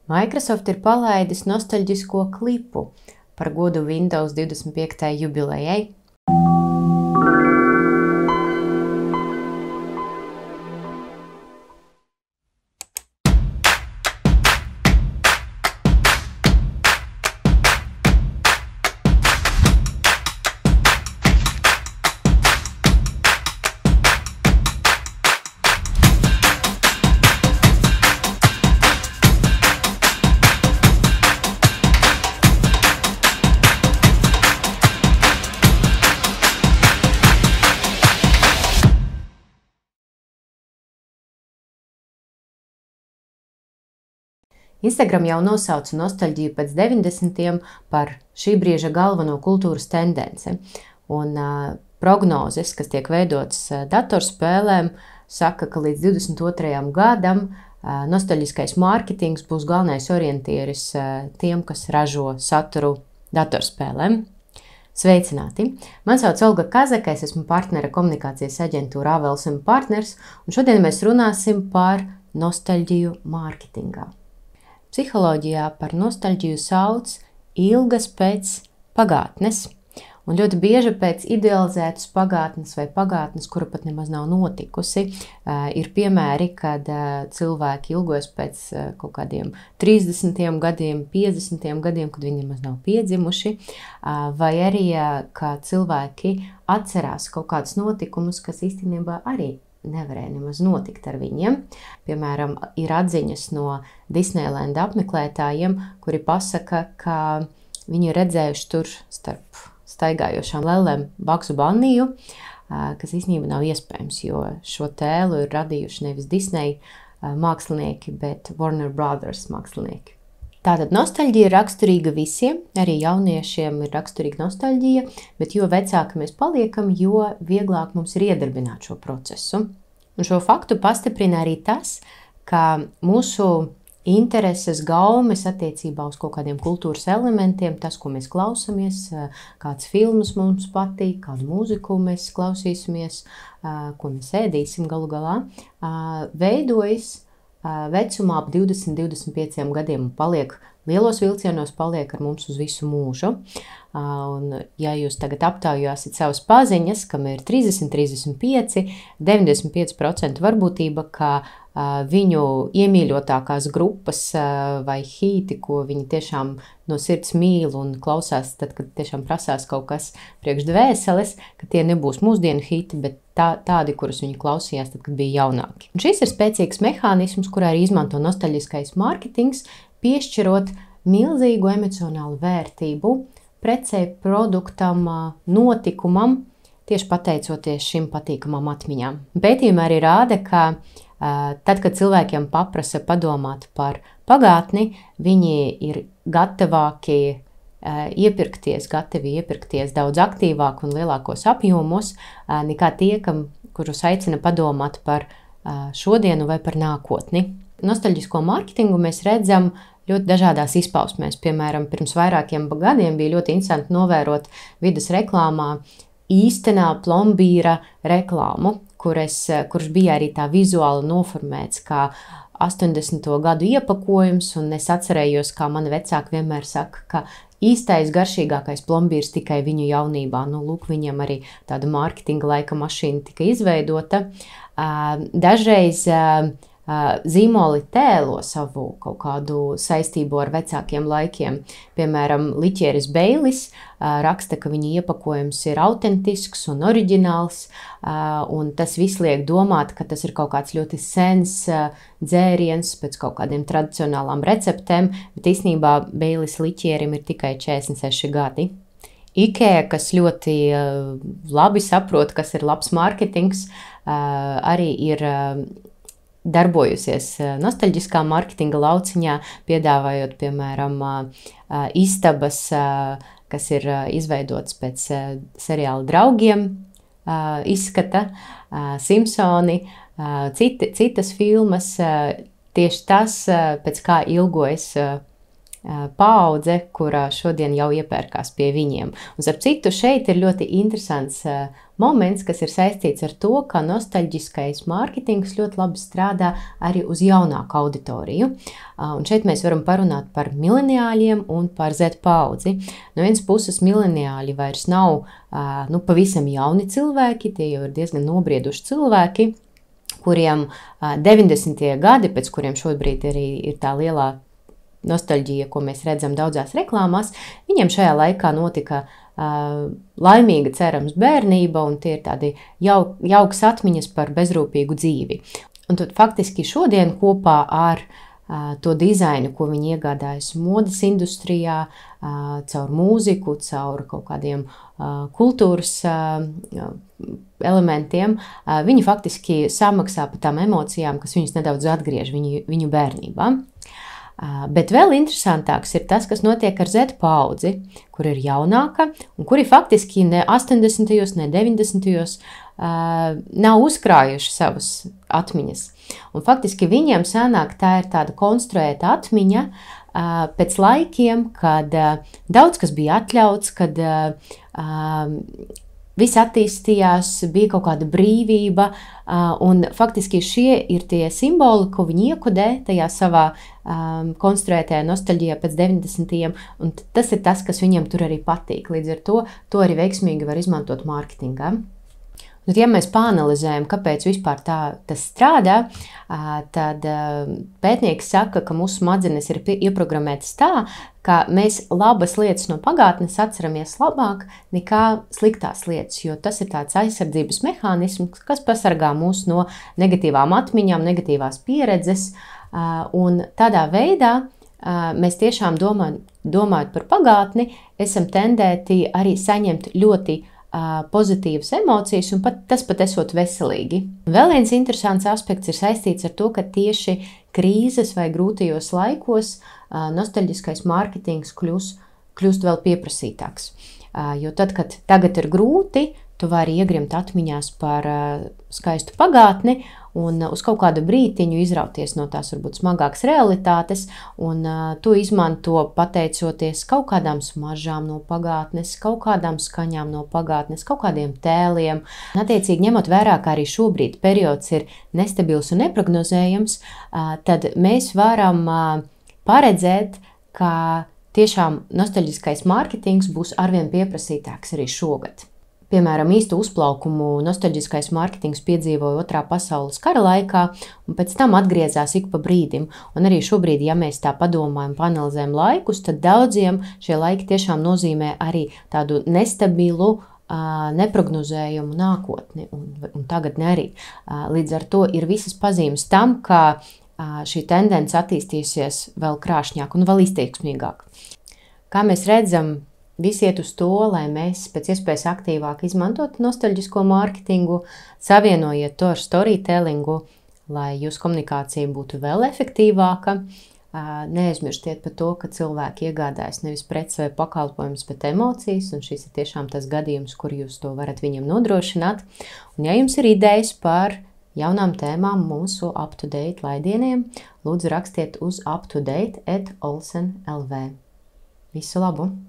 Microsoft ir palaidis nostalģisko klipu par godu Windows 25. jubilejai. Instagram jau nosauca nostalģiju pēc 90. par šī brīža galveno kultūras tendenci. Un prognozes, kas tiek veidotas datorspēlēm, saka, ka līdz 22. gadam nostalģiskais mārketings būs galvenais orientieris tiem, kas ražo saturu datorspēlēm. Sveicināti! Man sauc Olga Kazaka, es esmu partnere komunikācijas aģentūra Avels & Partners, un šodien mēs runāsim par nostalģiju mārketingā. Psiholoģijā par nostalģiju sauc ilgas pēc pagātnes, un ļoti bieži pēc idealizētas pagātnes vai pagātnes, kura pat nemaz nav notikusi. Ir piemēri, kad cilvēki ilgojas pēc kaut kādiem 30 gadiem, 50 gadiem, kad viņi nemaz nav piedzimuši, vai arī, ka cilvēki atcerās kaut kādus notikumus, kas īstenībā arī nevarēja nemaz notikt ar viņiem. Piemēram, ir atziņas no Disneyland apmeklētājiem, kuri pasaka, ka viņi ir redzējuši tur starp staigājošām lellēm Baksu Banniju, kas īstenībā nav iespējams, jo šo tēlu ir radījuši nevis Disney mākslinieki, bet Warner Brothers mākslinieki. Tātad nostalģija ir raksturīga visiem, arī jauniešiem ir raksturīga nostalģija, bet jo vecāki mēs paliekam, jo vieglāk mums ir iedarbināt šo procesu. Un šo faktu pastiprina arī tas, ka mūsu intereses, gaumes attiecībā uz kaut kādiem kultūras elementiem, tas, ko mēs klausamies, kāds filmas mums patīk, kādu mūziku mēs klausīsimies, ko mēs ēdīsim galu galā, veidojas vecumā ap 20-25 gadiem un paliek lielos vilcienos, paliek ar mums uz visu mūžu. Un, ja jūs tagad aptaujāsiet savas paziņas, kam ir 30, 35, 95% varbūtība, ka viņu iemīļotākās grupas vai hīti, ko viņi tiešām no sirds mīl un klausās, tad, kad tiešām prasās kaut kas priekš dvēseles, ka tie nebūs mūsdienu hīti, bet tādi, kurus viņi klausījās, tad, kad bija jaunāki. Un šis ir spēcīgs mehānisms, kurā arī izmanto nostalģiskais mārketings, piešķirot milzīgu emocionālu vērtību precei, produktam, notikumam, tieši pateicoties šim patīkamām atmiņām. Pētījumi arī rāda, ka tad, kad cilvēkiem paprasa padomāt par pagātni, viņi ir gatavi iepirkties daudz aktīvāk un lielākos apjomos, nekā tie, kurus aicina padomāt par šodienu vai par nākotni. Nostalģisko mārketingu mēs redzam ļoti dažādās izpausmēs. Piemēram, pirms vairākiem gadiem bija ļoti interesanti novērot vides reklāmā īstenā plombīra reklāmu, kurš bija arī tā vizuāli noformēts kā 80. gadu iepakojums, un es atcerējos, kā mani vecāki vienmēr saka, ka īstais garšīgākais plombīrs tikai viņu jaunībā. Nu, lūk, viņam arī tāda mārketinga laika mašīna tika izveidota. Dažreiz zīmoli tēlo savu kaut kādu saistību ar vecākiem laikiem. Piemēram, Liķieris Beilis raksta, ka viņa iepakojums ir autentisks un oriģināls, un tas viss liek domāt, ka tas ir kaut kāds ļoti sens dzēriens pēc kaut kādiem tradicionālām receptēm, bet īstenībā Beilis Liķierim ir tikai 46 gadi. IKEA, kas ļoti labi saprot, kas ir labs mārketings, arī ir darbojusies nostalģiskā mārketinga lauciņā, piedāvājot, piemēram, istabas, kas ir izveidotas pēc seriāla Draugiem, izskata, Simpsoni, citas filmas, tieši tas, pēc kā ilgojas paudze, kurā šodien jau iepērkās pie viņiem. Un, starp citu, šeit ir ļoti interesants moments, kas ir saistīts ar to, ka nostalģiskais mārketings ļoti labi strādā arī uz jaunāku auditoriju. Un šeit mēs varam parunāt par mileniāļiem un par Z paudzi. No vienas puses, mileniāļi vairs nav pavisam jauni cilvēki, tie jau ir diezgan nobrieduši cilvēki, kuriem 90. gadi, pēc kuriem šobrīd arī ir tā lielā nostalģija, ko mēs redzam daudzās reklāmās, viņiem šajā laikā notika laimīga, cerams, bērnība, un tie ir tādi jauks atmiņas par bezrūpīgu dzīvi. Un tad faktiski šodien kopā ar to dizainu, ko viņi iegādājas modes industrijā, caur mūziku, caur kaut kādiem kultūras elementiem, viņi faktiski samaksā par tām emocijām, kas viņus nedaudz atgriež viņu bērnībā. Bet vēl interesantāks ir tas, kas notiek ar Z paudzi, kur ir jaunāka un kuri faktiski ne 80. ne 90. Nav uzkrājuši savas atmiņas. Un faktiski viņiem sanāk tā ir tāda konstruēta atmiņa pēc laikiem, kad daudz kas bija atļauts, kad viss attīstījās, bija kaut kāda brīvība, un faktiski šie ir tie simboli, ko viņi iekodē tajā savā konstruētajā nostalģijā pēc 90. Un tas ir tas, kas viņiem tur arī patīk. Līdz ar to arī veiksmīgi var izmantot mārketingā. Un, ja mēs pāanalizējam, kāpēc vispār tas strādā, tad pētnieki saka, ka mūsu smadzenes ir ieprogrammētas tā, ka mēs labas lietas no pagātnes atceramies labāk nekā sliktās lietas, jo tas ir tāds aizsardzības mehānisms, kas pasargā mūs no negatīvām atmiņām, negatīvās pieredzes, un tādā veidā mēs tiešām domājot par pagātni, esam tendēti arī saņemt ļoti pozitīvas emocijas, un tas pat esot veselīgi. Vēl viens interesants aspekts ir saistīts ar to, ka tieši krīzes vai grūtajos laikos nostalģiskais mārketings kļūst vēl pieprasītāks. Jo tad, kad tagad ir grūti, tu vari iegrimt atmiņās par skaistu pagātni un uz kaut kādu brītiņu izrauties no tās varbūt smagākas realitātes, un to izmanto pateicoties kaut kādām smaržām no pagātnes, kaut kādām skaņām no pagātnes, kaut kādiem tēliem. Attiecīgi, ņemot vērā, ka arī šobrīd periods ir nestabils un neprognozējams, tad mēs varam paredzēt, ka tiešām nostalģiskais mārketings būs arvien pieprasītāks arī šogad. Piemēram, īstu uzplaukumu nostalģiskais mārketings piedzīvoja Otrā pasaules kara laikā, un pēc tam atgriezās ik pa brīdim. Un arī šobrīd, ja mēs tā padomājam, panalizējam laikus, tad daudziem šie laiki tiešām nozīmē arī tādu nestabilu, neprognozējumu nākotni, un tagadni arī. Līdz ar to ir visas pazīmes tam, ka šī tendence attīstīsies vēl krāšņāk un vēl izteiksmīgāk. Kā mēs redzam, visi iet uz to, lai mēs pēc iespējas aktīvāk izmantotu nostalģisko mārketingu, savienojiet to ar storytellingu, lai jūsu komunikācija būtu vēl efektīvāka. Neaizmirstiet par to, ka cilvēki iegādājas nevis preces vai pakalpojumus, bet emocijas, un šis ir tiešām tas gadījums, kur jūs to varat viņam nodrošināt. Un ja jums ir idejas par jaunām tēmām mūsu UpToDate laidieniem, lūdzu rakstiet uz uptodate@olsen.lv. Visu labu!